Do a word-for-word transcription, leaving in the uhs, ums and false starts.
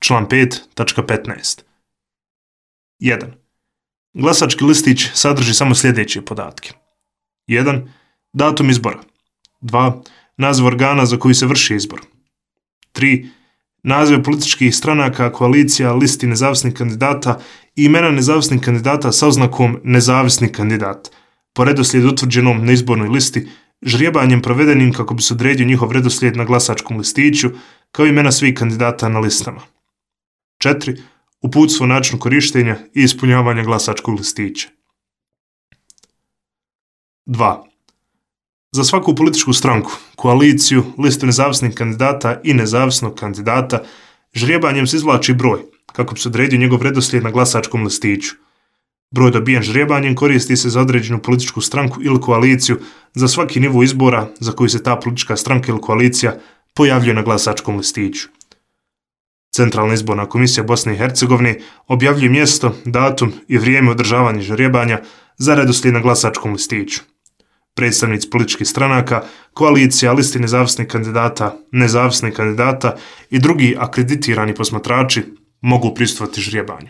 Član pet tačka petnaest. jedan. Glasački listić sadrži samo sljedeće podatke. jedan. Datum izbora. dva. Naziv organa za koji se vrši izbor. tri. Naziv političkih stranaka, koalicija, listi nezavisnih kandidata i imena nezavisnih kandidata sa oznakom nezavisni kandidat, po redoslijedu utvrđenom na izbornoj listi, žrijebanjem provedenim kako bi se odredio njihov redoslijed na glasačkom listiću, kao i imena svih kandidata na listama. četiri. Uputstvo o načinu korištenja i ispunjavanja glasačkog listića. dva. Za svaku političku stranku, koaliciju, listu nezavisnih kandidata i nezavisnog kandidata, žrijebanjem se izvlači broj, kako bi se odredio njegov redoslijed na glasačkom listiću. Broj dobijen žrijebanjem koristi se za određenu političku stranku ili koaliciju za svaki nivo izbora za koji se ta politička stranka ili koalicija pojavljuje na glasačkom listiću. Centralna izborna komisija Bosne i Hercegovine objavljuje mjesto, datum i vrijeme održavanja žrijebanja za redoslijed na glasačkom listiću. Predstavnici političkih stranaka, koalicija, listi nezavisnih kandidata, nezavisnih kandidata i drugi akreditirani posmatrači mogu prisustvovati žrijebanju.